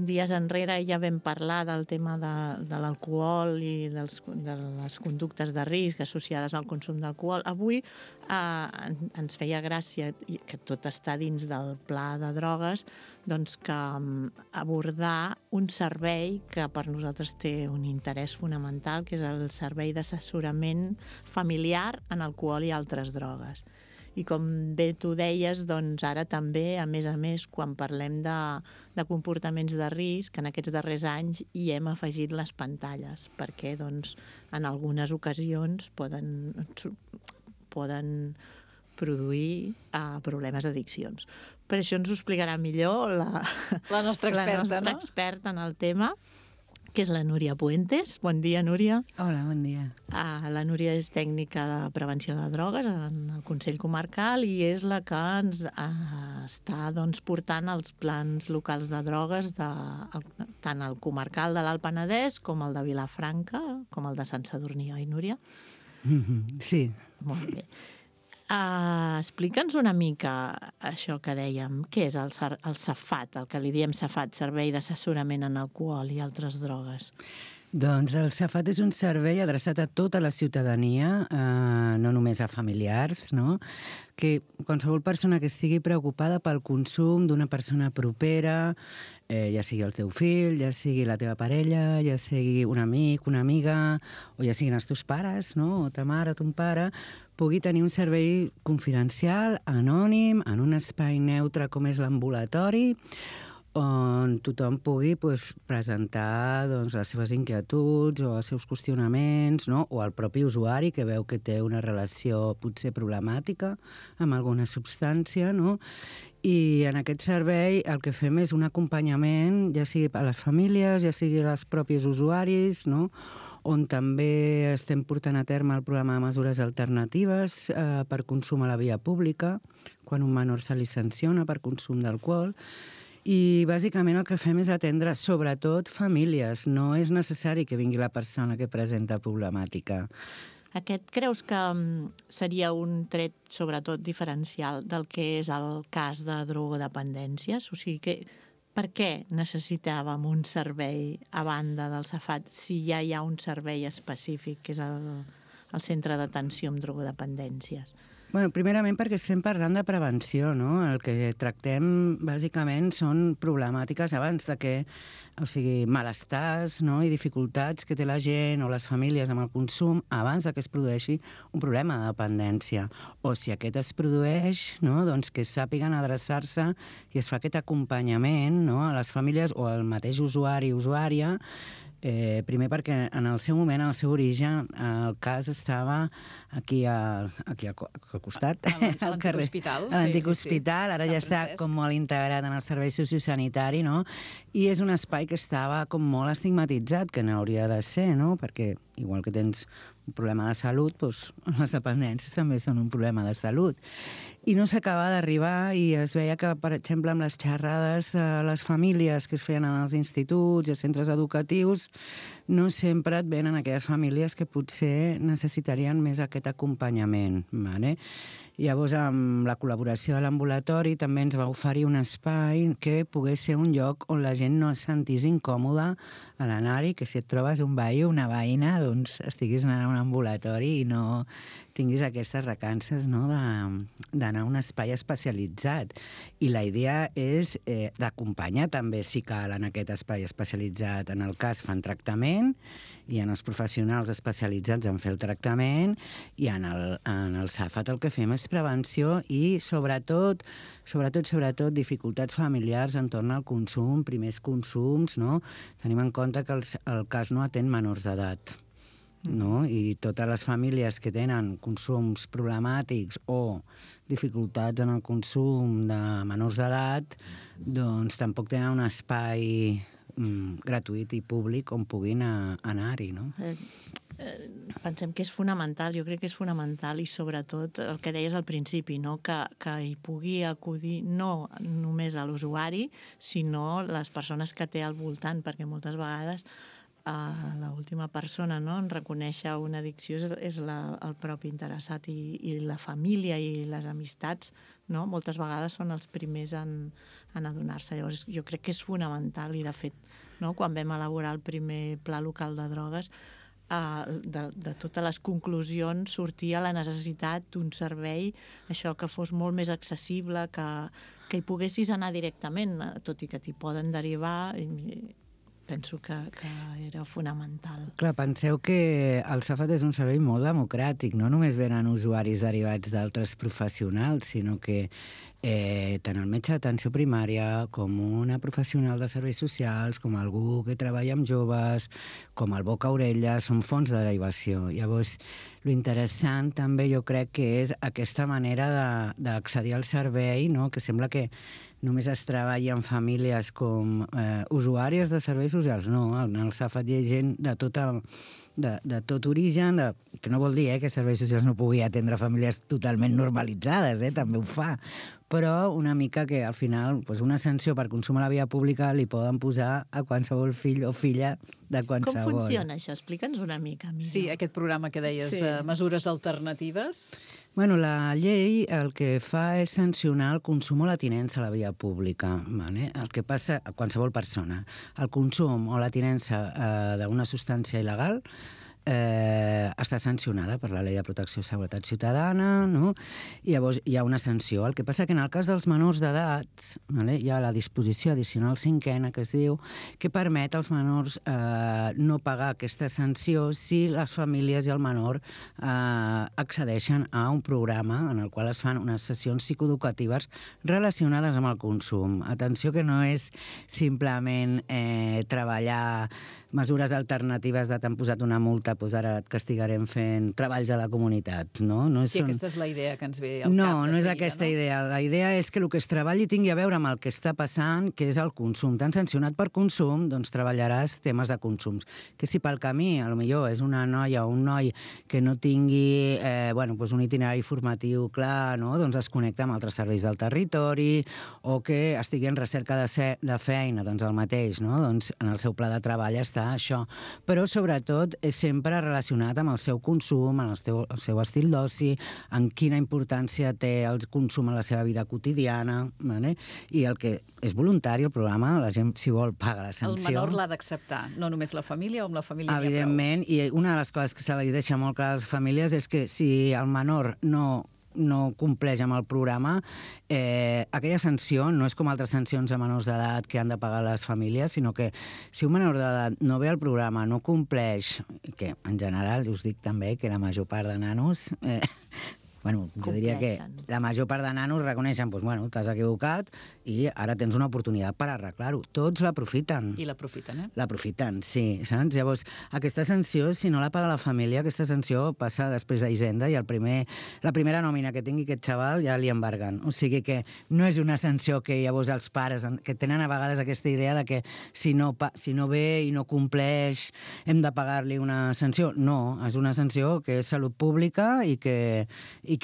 dies enrere ja vam parlar del tema de l'alcohol i de les conductes de risc associades al consum d'alcohol. Avui ens feia gràcia, que tot està dins del pla de drogues, doncs que abordar un servei que per nosaltres té un interès fonamental, que és el servei d'assessorament familiar en alcohol i altres drogues. I com bé tu deies, doncs ara també, a més, quan parlem de comportaments de risc, en aquests darrers anys hi hem afegit les pantalles, perquè doncs, en algunes ocasions poden produir problemes d'addiccions. Per això ens ho explicarà millor la nostra experta en el tema, que és la Núria Puentes. Bon dia, Núria. Hola, bon dia. La Núria és tècnica de prevenció de drogues en el Consell Comarcal i és la que ens està portant els plans locals de drogues tant el comarcal de l'Alt Penedès com el de Vilafranca, com el de Sant Sadurní, oi, Núria? Sí. Molt bé. Explica'ns una mica això que dèiem. Què és el CEFAT, el que li diem CEFAT, Servei d'Assessorament en Alcohol i Altres Drogues? Doncs el CEFAT és un servei adreçat a tota la ciutadania, no només a familiars, no? Que qualsevol persona que estigui preocupada pel consum d'una persona propera, ja sigui el teu fill, ja sigui la teva parella, ja sigui un amic, una amiga, o ja siguin els teus pares, no? O ta mare o ton pare, pugui tenir un servei confidencial, anònim, en un espai neutre com és l'ambulatori, on tothom pugui presentar les seves inquietuds o els seus qüestionaments, no? O el propi usuari que veu que té una relació potser problemàtica amb alguna substància, no? I en aquest servei el que fem és un acompanyament, ja sigui a les famílies, ja sigui als propis usuaris, no? On també estem portant a terme el programa de mesures alternatives per consum a la via pública, quan un menor se li sanciona per consum d'alcohol. I bàsicament el que fem és atendre sobretot famílies. No és necessari que vingui la persona que presenta problemàtica. Aquest creus que seria un tret sobretot diferencial del que és el cas de drogodependències? O sigui, per què necessitàvem un servei a banda del CEFAT si ja hi ha un servei específic, que és el Centre d'Atenció amb Drogodependències? Bueno, primerament perquè estem parlant de prevenció, no? El que tractem bàsicament són problemàtiques abans de que, o sigui, malestars, no? I dificultats que té la gent o les famílies amb el consum abans de que es produeixi un problema de dependència. O si aquest es produeix, no? Doncs que sàpiguen adreçar-se i es fa aquest acompanyament, no? A les famílies o al mateix usuari o usuària. Primer perquè en el seu moment, en el seu origen, el cas estava aquí al costat, a l'antic hospital. A l'antic hospital, ara ja està com molt integrat en el servei sociosanitari, no? I és un espai que estava com molt estigmatitzat, que n'hauria de ser, no? Perquè igual que tens un problema de salut, doncs les dependències també són un problema de salut. I no s'acaba d'arribar i es veia que, per exemple, amb les xerrades a les famílies que es feien en els instituts i els centres educatius, no sempre et venen aquelles famílies que potser necessitarien més aquest acompanyament, vale? Llavors, amb la col·laboració de l'ambulatori també ens va oferir un espai que pogués ser un lloc on la gent no es sentís incòmoda a l'anar-hi, que si et trobes un veí o una veïna, doncs estiguis anant a un ambulatori i no tinguis aquestes recances, no? D'anar a un espai especialitzat. I la idea és d'acompanyar també, si cal, en aquest espai especialitzat. En el cas fan tractament, i en els professionals especialitzats en fer el tractament, i en el CEFAT el que fem és prevenció i sobretot dificultats familiars entorn al consum, primers consums, no? Tenim en compte que el cas no atén menors d'edat, no? I totes les famílies que tenen consums problemàtics o dificultats en el consum de menors d'edat, doncs tampoc tenen un espai gratuït i públic on puguin anar-hi, no? Pensem que és fonamental, jo crec que és fonamental, i sobretot el que deies al principi, no? Que hi pugui acudir no només a l'usuari, sinó les persones que té al voltant, perquè moltes vegades l'última persona, no, en reconèixer una addicció és el propi interessat, i la família i les amistats, no, moltes vegades són els primers en adonar-se. Llavors jo crec que és fonamental, i de fet, no, quan vam elaborar el primer pla local de drogues, de totes les conclusions sortia la necessitat d'un servei, això, que fos molt més accessible, que hi poguessis anar directament, tot i que t'hi poden derivar. Penso que era fonamental. Clar, penseu que el SAFAT és un servei molt democràtic, no només venen usuaris derivats d'altres professionals, sinó que tant el metge d'atenció primària com una professional de serveis socials, com algú que treballa amb joves, com el boca-orella, són fonts de derivació. Llavors, lo interessant també jo crec que és aquesta manera d'accedir al servei, no? Que sembla que només es treballa en famílies com usuàries de serveis socials. No, en el SAFAT hi ha gent de tot origen, que no vol dir que serveis socials no pugui atendre famílies totalment normalitzades, també ho fa, però una mica que al final una sanció per consum a la via pública li poden posar a qualsevol fill o filla de qualsevol. Com funciona això? Explica'ns una mica, Mira. Sí, aquest programa que deies de mesures alternatives. Bueno, la llei el que fa és sancionar el consum o la tinença a la via pública. Vale? El que passa a qualsevol persona. El consum o la tinença d'una substància il·legal està sancionada per la Llei de Protecció i Seguretat Ciutadana, no? I llavors hi ha una sanció. El que passa que en el cas dels menors d'edat, vale, hi ha la disposició addicional 5ª, que es diu, que permet als menors no pagar aquesta sanció si les famílies i el menor accedeixen a un programa en el qual es fan unes sessions psicoeducatives relacionades amb el consum. Atenció, que no és simplement treballar mesures alternatives de t'han posat una multa, doncs ara et castigarem fent treballs a la comunitat, no? Sí, aquesta és la idea que ens ve al cap. No és aquesta idea. La idea és que el que es treballi tingui a veure amb el que està passant, que és el consum. T'han sancionat per consum, doncs treballaràs temes de consums. Que si pel camí, potser és una noia o un noi que no tingui un itinerari formatiu clar, no? Doncs es connecta amb altres serveis del territori, o que estigui en recerca de feina, doncs el mateix, no? Doncs en el seu pla de treball està això, però sobretot és sempre relacionat amb el seu consum, amb el seu estil d'oci, en quina importància té el consum en la seva vida quotidiana, vale? I el que és voluntari, el programa, la gent, si vol, paga la sanció. El menor l'ha d'acceptar, no només la família, o amb la família evidentment, i una de les coses que se li deixa molt clar a les famílies és que si el menor no compleix amb el programa, aquella sanció no és com altres sancions a menors d'edat que han de pagar les famílies, sinó que si un menor d'edat no ve al programa, no compleix, que en general us dic també que la major part de nanos jo diria que la major part de nanos reconeixen, t'has equivocat i ara tens una oportunitat per arreglar-ho. Tots l'aprofiten. I l'aprofiten, L'aprofiten, sí, saps? Llavors, aquesta sanció, si no la paga la família, aquesta sanció passa després a Hisenda i la primera nòmina que tingui aquest xaval ja li embarguen. O sigui que no és una sanció que llavors els pares, que tenen a vegades aquesta idea de que si no ve i no compleix hem de pagar-li una sanció. No, és una sanció que és salut pública i que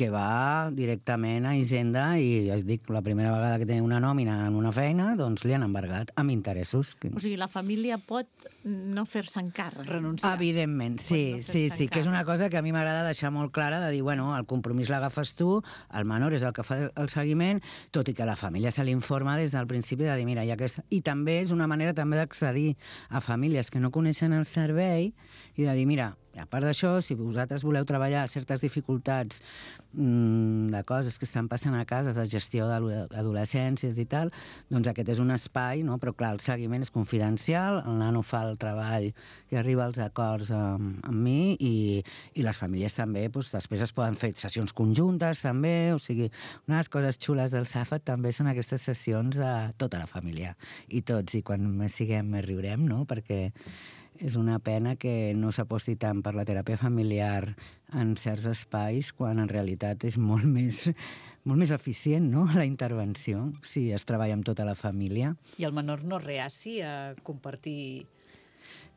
va directament a Hisenda i, ja us dic, la primera vegada que té una nòmina en una feina, doncs li han embargat amb interessos. O sigui, la família pot no fer-se encàrrec. Renunciar. Evidentment, sí, que és una cosa que a mi m'agrada deixar molt clara, de dir, el compromís l'agafes tu, el menor és el que fa el seguiment, tot i que la família se l'informa des del principi de dir, mira, i també és una manera també d'accedir a famílies que no coneixen el servei i de dir, mira, a part d'això, si vosaltres voleu treballar certes dificultats de coses que estan passant a casa, de gestió d'adolescències i tal, doncs aquest és un espai, no? Però clar, el seguiment és confidencial, el nano fa el treball i arriba als acords amb mi i les famílies també, després es poden fer sessions conjuntes també, o sigui, una de les coses xules del SAFAT també són aquestes sessions de tota la família i tots, i quan més siguem més riurem, no? Perquè és una pena que no s'aposti tant per la teràpia familiar en certs espais, quan en realitat és molt més eficient, no?, la intervenció, si es treballa amb tota la família. I el menor no reaci a compartir...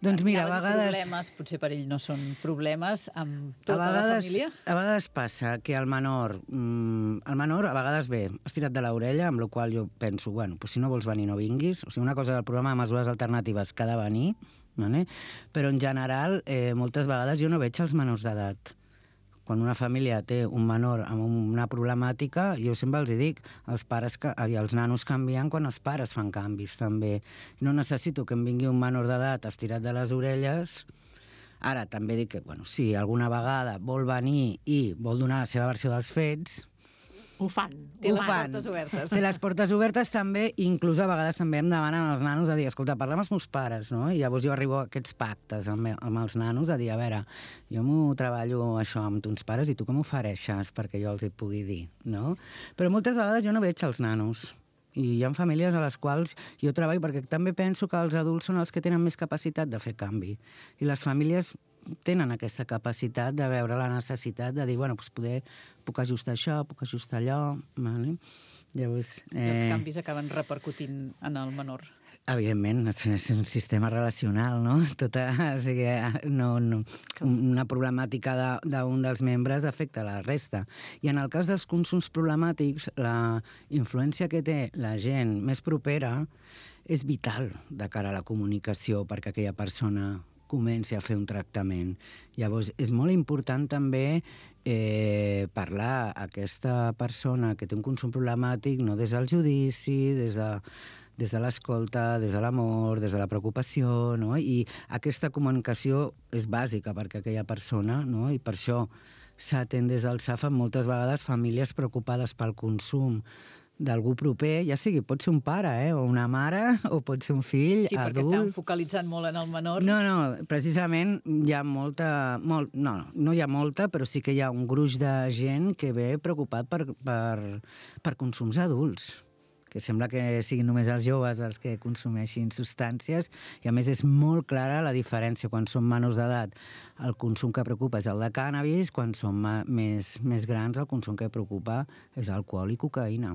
Doncs mira, a vegades... problemes, potser per ell no són problemes, amb tota la família? A vegades passa que el menor a vegades ve estirat de l'orella, amb la qual jo penso, bueno, si no vols venir no vinguis. O sigui, una cosa del programa de mesures alternatives que ha de venir, vale? Però en general, moltes vegades jo no veig els menors d'edat. Quan una família té un menor amb una problemàtica, jo sempre els dic, els nanos canvien quan els pares fan canvis, també. No necessito que em vingui un menor d'edat estirat de les orelles. Ara, també dic que, bueno, si alguna vegada vol venir i vol donar la seva versió dels fets... Ho fan. Té les portes obertes. Té les portes obertes també, inclús a vegades també em demanen els nanos a dir, escolta, parla amb els meus pares, no? I llavors jo arribo a aquests pactes amb els nanos a dir, a veure, jo m'ho treballo això amb tons pares i tu com m'ofereixes perquè jo els hi pugui dir, no? Però moltes vegades jo no veig els nanos. I hi ha famílies a les quals jo treballo perquè també penso que els adults són els que tenen més capacitat de fer canvi. I les famílies tenen aquesta capacitat de veure la necessitat de dir, bueno, doncs puc ajustar això, puc ajustar allò, vale? Llavors... Els canvis acaben repercutint en el menor. Evidentment, és un sistema relacional, no? O sigui, una problemàtica d'un dels membres afecta la resta. I en el cas dels consums problemàtics, la influència que té la gent més propera és vital de cara a la comunicació perquè aquella persona comenci a fer un tractament. Llavors, és molt important també parlar a aquesta persona que té un consum problemàtic no des del judici, des de l'escolta, des de l'amor, des de la preocupació, no? I aquesta comunicació és bàsica perquè aquella persona, no? I per això s'atén des del SAFA moltes vegades famílies preocupades pel consum d'algú proper, ja sigui, pot ser un pare, o una mare, o pot ser un fill, adult. Sí, perquè estan focalitzant molt en el menor. No, precisament hi ha no hi ha molta, però sí que hi ha un gruix de gent que ve preocupat per consums adults, que sembla que siguin només els joves els que consumeixin substàncies, i a més és molt clara la diferència. Quan són menors d'edat, el consum que preocupa és el de cànnabis, quan són més grans, el consum que preocupa és alcohol i cocaïna.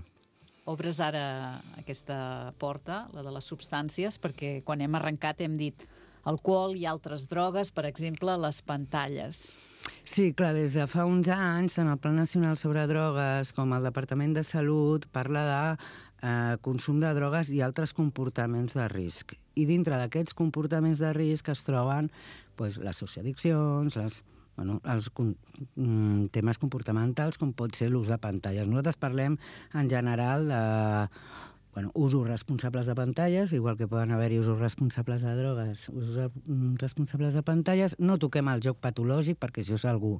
Obres ara aquesta porta, la de les substàncies, perquè quan hem arrencat hem dit alcohol i altres drogues, per exemple, les pantalles. Sí, clar, des de fa uns anys, en el Pla Nacional sobre Drogues, com el Departament de Salut, parla de consum de drogues i altres comportaments de risc. I dintre d'aquests comportaments de risc es troben les socioaddiccions, els temes comportamentals, com pot ser l'ús de pantalles. Nosaltres parlem en general de usos responsables de pantalles, igual que poden haver-hi usos responsables de drogues, usos responsables de pantalles. No toquem el joc patològic, perquè això és algú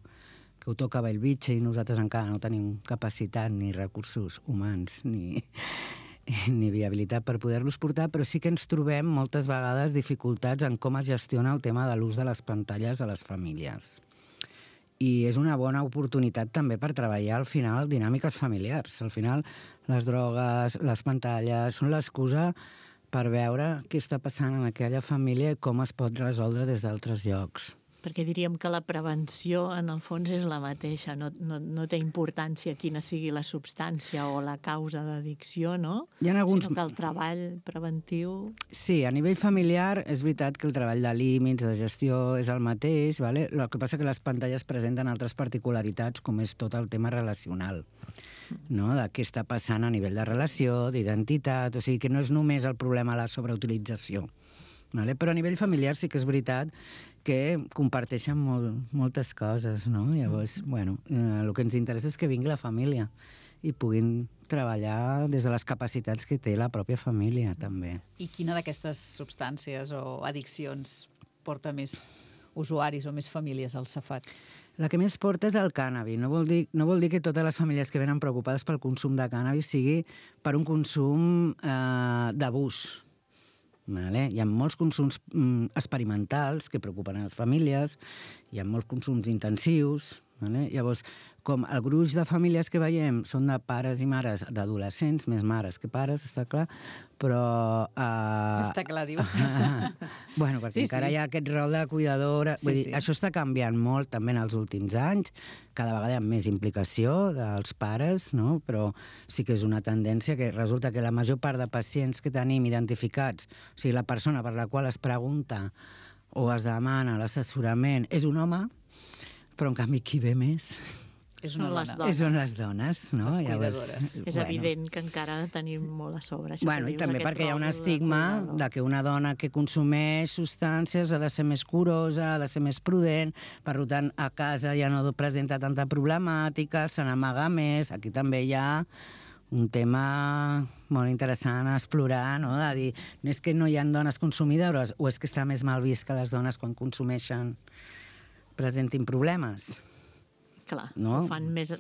que ho toca Bellvitge i nosaltres encara no tenim capacitat ni recursos humans ni viabilitat per poder-los portar, però sí que ens trobem moltes vegades dificultats en com es gestiona el tema de l'ús de les pantalles a les famílies. I és una bona oportunitat també per treballar al final dinàmiques familiars. Al final les drogues, les pantalles són l'excusa per veure què està passant en aquella família i com es pot resoldre des d'altres llocs. Perquè diríem que la prevenció, en el fons, és la mateixa. No té importància quina sigui la substància o la causa d'addicció, no? Sinó que el treball preventiu... Sí, a nivell familiar és veritat que el treball de límits, de gestió, és el mateix, ¿vale? El que passa que les pantalles presenten altres particularitats, com és tot el tema relacional, no? De què està passant a nivell de relació, d'identitat... O sigui, que no és només el problema de la sobreutilització. Vale? Però a nivell familiar sí que és veritat que comparteixen moltes coses, no? Llavors, el que ens interessa és que vingui la família i puguin treballar des de les capacitats que té la pròpia família, també. I quina d'aquestes substàncies o addiccions porta més usuaris o més famílies al Safat? La que més porta és el cànnabis. No vol dir que totes les famílies que venen preocupades pel consum de cànnabis sigui per un consum d'abús. Vale? Hi ha molts consums experimentals que preocupen a les famílies, hi ha molts consums intensius, Vale? Llavors, com el gruix de famílies que veiem són de pares i mares d'adolescents, més mares que pares, està clar, però... Està clar, diu. Bueno, perquè encara hi ha aquest rol de cuidadora. Vull dir, això està canviant molt també en els últims anys, cada vegada hi ha més implicació dels pares, no? Però sí que és una tendència que resulta que la major part de pacients que tenim identificats, o sigui, la persona per la qual es pregunta o es demana l'assessorament és un home, però en canvi qui ve més... Són les dones, no? Les cuidadores. És evident que encara tenim molt a sobre. Bueno, i també perquè hi ha un estigma de que una dona que consumeix substàncies ha de ser més curosa, ha de ser més prudent, per tant, a casa ja no presenta tanta problemàtica, se n'amaga més. Aquí també hi ha un tema molt interessant a explorar, no? De dir, no és que no hi ha dones consumidores, o és que està més mal vist que les dones quan consumeixen presentin problemes. Clar, no? Ho fan més...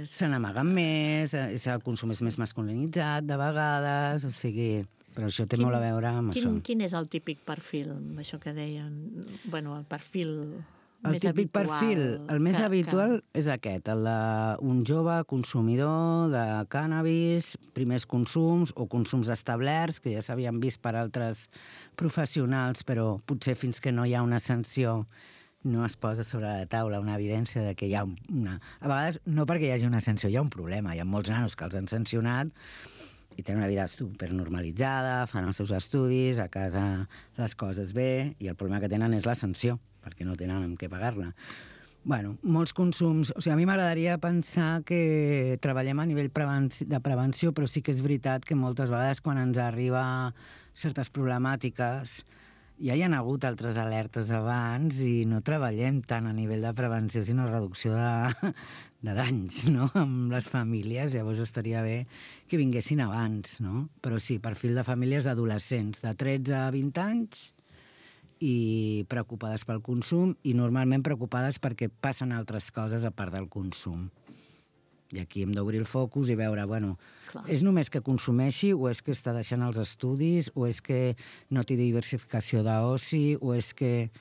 Se n'amaguen més, el consum és més masculinitzat de vegades, o sigui... Però això té molt a veure amb això. Quin és el típic perfil, això que dèiem? Bueno, el perfil el típic perfil, el més habitual és aquest, el d'un jove consumidor de cànnabis, primers consums o consums establerts, que ja s'havien vist per altres professionals, però potser fins que no hi ha una sanció no es posa sobre la taula una evidència de que hi ha una... A vegades, no perquè hi hagi una sanció, hi ha un problema. Hi ha molts nanos que els han sancionat i tenen una vida supernormalitzada, fan els seus estudis, a casa les coses bé, i el problema que tenen és la sanció, perquè no tenen amb què pagar-la. Bueno, molts consums... O sigui, a mi m'agradaria pensar que treballem a nivell de prevenció, però sí que és veritat que moltes vegades quan ens arriba certes problemàtiques ja hi ha hagut altres alertes abans i no treballem tant a nivell de prevenció, sinó reducció de danys, no?, amb les famílies. Llavors estaria bé que vinguessin abans, no? Però sí, perfil de famílies d'adolescents de 13 a 20 anys i preocupades pel consum i normalment preocupades perquè passen altres coses a part del consum. I aquí hem d'obrir el focus i veure, bueno, és només que consumeixi o és que està deixant els estudis o és que no té diversificació d'oci o és que...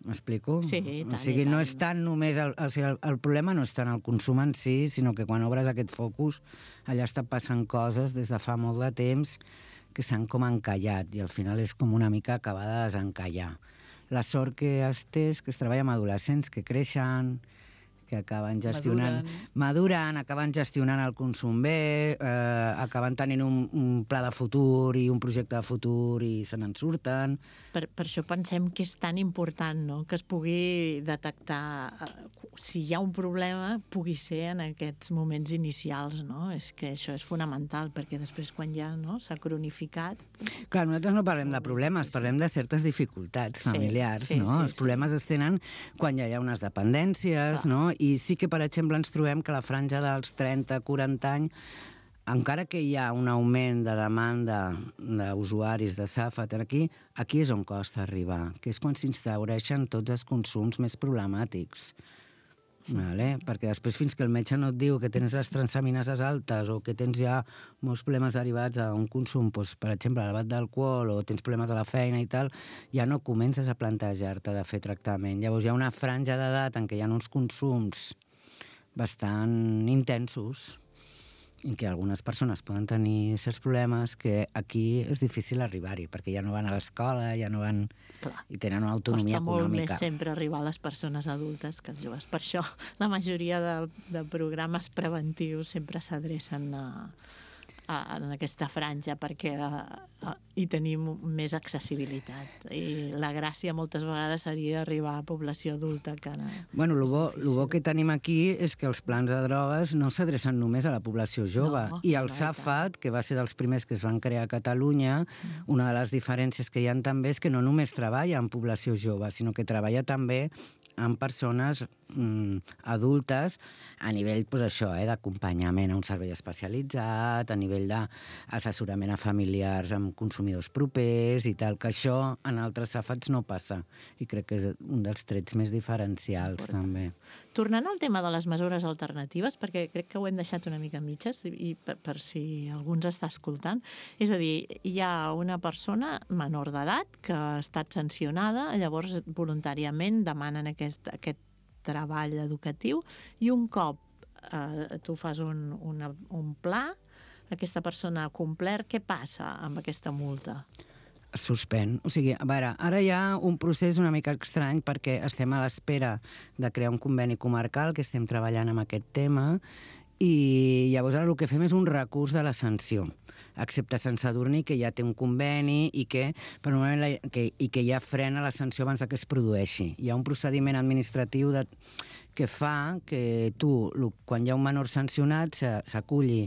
M'explico? Sí, i tant. O sigui, no és tant només... El problema no és tant el consum en si, sinó que quan obres aquest focus allà està passant coses des de fa molt de temps que s'han com encallat i al final és com una mica acabar de desencallar. La sort que es té és que es treballa amb adolescents que creixen, que acaben gestionant... Maduren, acaben gestionant el consum bé, acaben tenint un pla de futur i un projecte de futur i se n'en surten. Per això pensem que és tan important, no?, que es pugui detectar si hi ha un problema, pugui ser en aquests moments inicials, no? És que això és fonamental, perquè després quan ja s'ha cronificat... Clar, nosaltres no parlem de problemes, parlem de certes dificultats familiars, no? Els problemes es tenen quan ja hi ha unes dependències, no? I sí que, per exemple, ens trobem que la franja dels 30-40 anys, encara que hi ha un augment de demanda d'usuaris de Safat aquí és on costa arribar, que és quan s'instaureixen tots els consums més problemàtics. Vale? Perquè després, fins que el metge no et diu que tens les transaminases altes o que tens ja molts problemes derivats a un consum, doncs, per exemple, elevat d'alcohol o tens problemes a la feina i tal, ja no comences a plantejar-te de fer tractament. Llavors hi ha una franja d'edat en què hi ha uns consums bastant intensos en què algunes persones poden tenir certs problemes que aquí és difícil arribar-hi, perquè ja no van a l'escola, ja no van... Clar. I tenen una autonomia econòmica. Costa molt més sempre arribar a les persones adultes que als joves. Per això la majoria de programes preventius sempre s'adrecen en aquesta franja perquè hi tenim més accessibilitat. I la gràcia moltes vegades seria arribar a població adulta que ara... Bueno, el bo que tenim aquí és que els plans de drogues no s'adrecen només a la població jove. I el Safat, que va ser dels primers que es van crear a Catalunya, una de les diferències que hi ha també és que no només treballa en població jove, sinó que treballa també amb persones adultes a nivell, doncs això, d'acompanyament a un servei especialitzat, a nivell d'assessorament a familiars amb consumidors propers i tal, que això en altres Safats no passa. I crec que és un dels trets més diferencials, també. Tornant al tema de les mesures alternatives, perquè crec que ho hem deixat una mica a mitges, i per si algú ens està escoltant, és a dir, hi ha una persona menor d'edat que ha estat sancionada, llavors voluntàriament demanen aquest treball educatiu, i un cop tu fas un pla, aquesta persona ha complert, què passa amb aquesta multa? Suspèn. O sigui, a veure, ara hi ha un procés una mica estrany perquè estem a l'espera de crear un conveni comarcal, que estem treballant amb aquest tema, i llavors ara el que fem és un recurs de la sanció, excepte Sant Sadurní, que ja té un conveni i que ja frena la sanció abans que es produeixi. Hi ha un procediment administratiu que fa que tu, quan hi ha un menor sancionat, s'aculli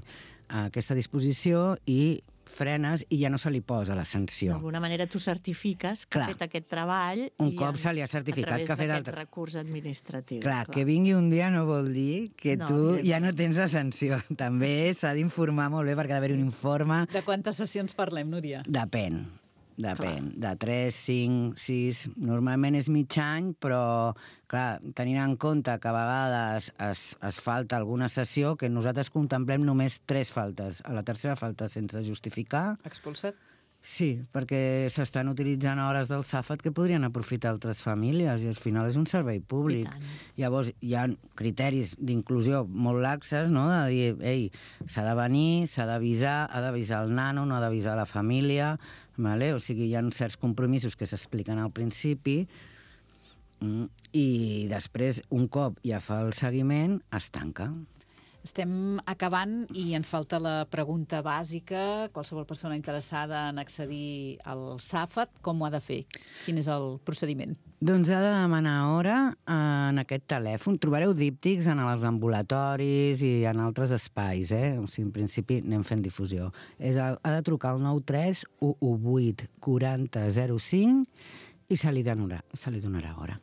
a aquesta disposició i frenes i ja no se li posa la sanció. D'alguna manera tu certifiques que ha fet aquest treball un cop se li ha certificat que ha fet a través d'aquest recurs administratiu. Clar, que vingui un dia no vol dir que tu ja no tens la sanció. També s'ha d'informar molt bé perquè ha d'haver un informe. De quantes sessions parlem, Núria? Depèn. De 3, 5, 6... Normalment és mig any, però, clar, tenint en compte que a vegades es falta alguna sessió, que nosaltres contemplem només 3 faltes. A la tercera falta sense justificar. Expulsat? Sí, perquè s'estan utilitzant hores del SAFAT que podrien aprofitar altres famílies i al final és un servei públic. Llavors hi ha criteris d'inclusió molt laxes, no? De dir, ei, s'ha de venir, s'ha d'avisar, ha d'avisar el nano, no ha d'avisar la família, vale? O sigui, hi ha certs compromisos que s'expliquen al principi i després, un cop ja fa el seguiment, es tanca. Estem acabant i ens falta la pregunta bàsica. Qualsevol persona interessada en accedir al SAFAT, com ho ha de fer? Quin és el procediment? Doncs ha de demanar hora en aquest telèfon. Trobareu díptics en els ambulatoris i en altres espais, O sigui, en principi anem fent difusió. Ha de trucar al 93 118 40 05 i se li donarà hora.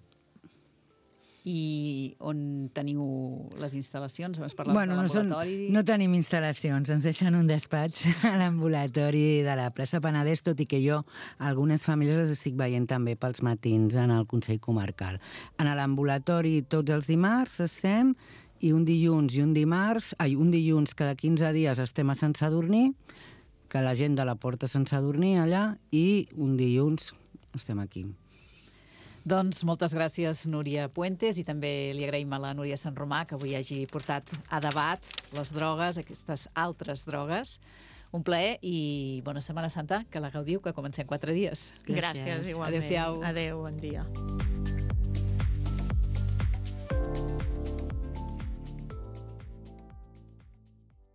I on teniu les instal·lacions? Abans parlaves de l'ambulatori. No tenim instal·lacions, ens deixen un despatx a l'ambulatori de la plaça Penedès, tot i que jo algunes famílies les estic veient també pels matins en el Consell Comarcal. En l'ambulatori tots els dimarts estem, i un dilluns cada 15 dies estem a Sant Sadurní, que la gent de la porta Sant Sadurní allà, i un dilluns estem aquí. Doncs moltes gràcies, Núria Puentes, i també li agraïm a la Núria Sant Romà que avui hagi portat a debat les drogues, aquestes altres drogues. Un plaer i bona Setmana Santa, que la gaudiu, que comencem 4 dies. Gràcies, igualment. Adéu-siau. Adéu, bon dia.